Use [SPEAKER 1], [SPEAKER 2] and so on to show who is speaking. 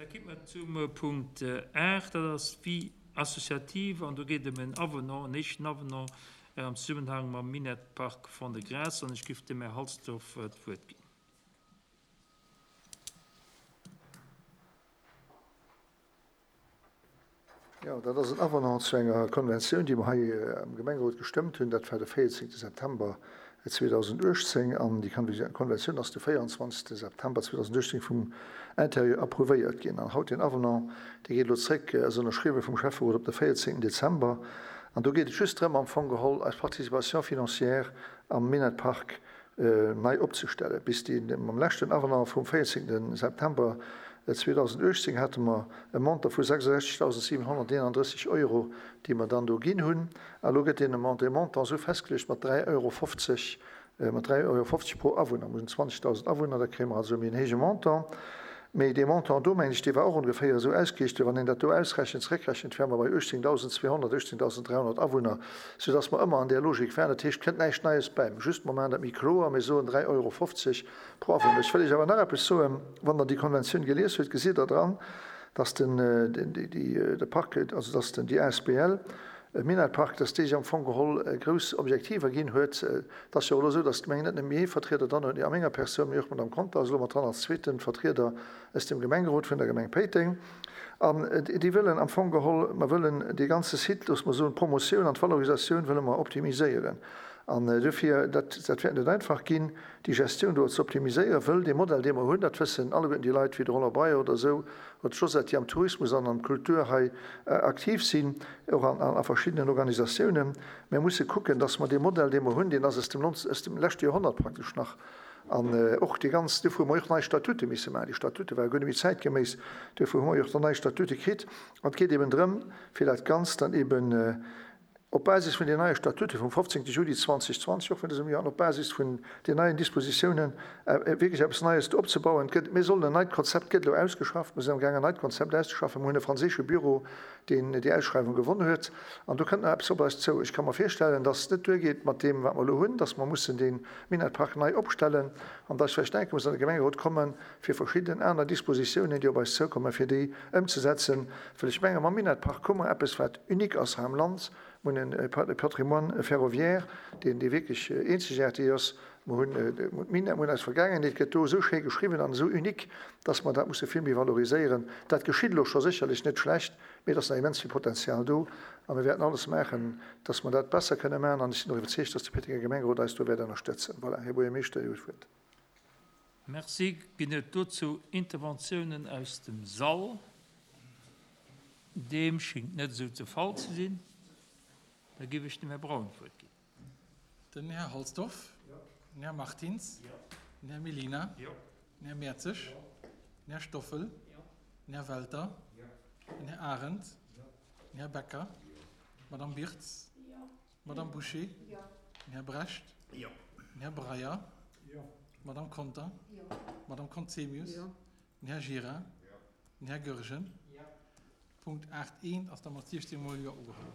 [SPEAKER 1] Da kimme mer zum Punkt 8, dat ass d'Vie associative an do geet et ëm en Avenant, en éischten Avenant am Zesummenhang mam Minettpark Fond-de-Gras an ech giff dem Här Halsdorf d'Wuert ginn.
[SPEAKER 2] Jo, dat ass en Avenant zu enger Konventioun, déi mer hei am Gemengerot gestëmmt hunn. Dat war de 14 September 2018. An déi Konventioun ass de 24 September 2018 vum Interieur approuvéiert ginn. An haut deen Avenant, dee geet elo zréck, ass ënnerschriwwen vum Schäfferot op de 14 Dezember. An do geet et just drëm, am Fong geholl eis Participation financière am Minett-Park nei opzestellen. Bis déi mam leschten Avenant vum 14 September 2018 hate mer e Montant vu 66.731 Euro, déi mer dann do ginn hunn. A lo gëtt deen dee Montant esou festgeluecht mat 3,50 Euro, mat 3,50 Euro pro Awunner. Mir hunn 20.000 Awunner, da kréie mer also méi en héije Montant. Mee dee Montant do, mengen ech, dee war och ongeféier esou ausgerichtet, wann een dat do ausrechent, zeréckrechent, wäre mer bei 18.200, 18.300 Awunner, soudass mer ëmmer an där Logik wären. Dat heescht, et kënnt näischt Neies bäi, just mer maachen dat méi kloer, mir soen 3,50 Euro pro Awunner. Ech wëll Iech awer nach eppes soen, Wann Der déi Konventioun gelies hutt, gesitt Der dran, dass den, déi, de Parquet, also dass den, déi asbl Minett-Park, dass déi sech am Fong geholl grouss Objektiver ginn huet. Et ass jo och elo esou, dass d'Gemeng net nëmme ee Vertrieder dran huet, a menger Persoun, mee och d'Madame Conter ass elo mat dran als zweete Vertrieder aus dem Gemengerot vun der Gemeng Péiteng. An déi wëllen am Fong geholl, mer wëllen dee ganze Site, loosse mer soen, d'Promotioun an d'Valorisatioun wëlle mer optimiséieren. An dofir, dat, dat wäert net einfach ginn, déi Gestioun do ze optimiséieren, wëll dee Modell, dee mer hunn, dat wëssen alleguerten déi Leit wéi de Roland Breyer oder esou, oder d'Josette, déi am Tourismus an am Kultur hei aktiv sinn, och a verschiddenen Organisatiounen, Mir musse kucken, dass mer dee Modell, dee mer hunn, deen ass aus dem, aus dem leschte Joerhonnert praktesch nach, an och déi ganz, duerfir hu mer jo och nei Statute misse maachen, déi Statute ware guer net méi zäitgeméiss, duerfir hu mer jo och dann nei Statute kritt. An et geet eben drëm, fir dat Ganzt dann eben op Basis vun den neie Statute vum 15. Juli 2020, och vun dësem Joer, an op Basis vun den neien Dispositiounen wierklech eppes Neies do opzebauen. Et gëtt, mir sollen en neit Konzept gëtt elo ausgeschafft, mir sinn amgaang en neit Konzept auszeschaffen, mir hunn e franséische Büro, deen déi Ausschreiwung gewonn huet, an do kënnt nach eppes op eis zou. Ech ka mer virstellen, dass et net duergeet mat deem, wat mer elo hunn, dass mer mussen dee Minett-Park nei opstellen an dass vläicht enke muss an de Gemengerot kommen, fir verschidden aner Dispositiounen, déi op eis zoukommen, fir déi ëmzesetzen. Well ech menge mam Minett-Park hu mer eppes, wat unique ass hei am Land. Mer hunn e Patrimoine ferroviaire, deen dee wierklech eenzegaarteg ass. Mer hunn d'Minett, mer hunn eis Vergaangenheet, gëtt do esou schéi geschriwwen an esou unique, dass mer dat musse vill méi valoriséieren. Dat geschitt elo scho sécherlech net schlecht, mee et ass nach immens vill Potenzial do a mir wäerten alles maachen, dass mer dat besser kënne maachen. An ech sinn och iwwerzeegt, dass de Péitenger Gemengerot eis do wäert ënnerstëtzen. Voilà, Här Buergermeeschter, Dir hutt d'Wuert.
[SPEAKER 1] Merci. Ginn et dozou Interventiounen aus dem Sall? Deem schéngt net esou de Fall ze sinn. Da géif ech dem Här Braun d'Wuert ginn.
[SPEAKER 3] Den Här Halsdorf. Den Här Martins. Den Här Mellina. Den Här Mertzig. Den Här Stoffel. Den Här Welter. Den Här Arendt. Den Här Becker. D'Madame Birtz. D'Madame Bouché. Den Här Brecht. Den Här Breyer. D'Madame Conter. D'Madame Conzemius. Den Här Gira. Den Här Goergen. Punkt 8 I ass da mat 16 mol Jo ugeholl.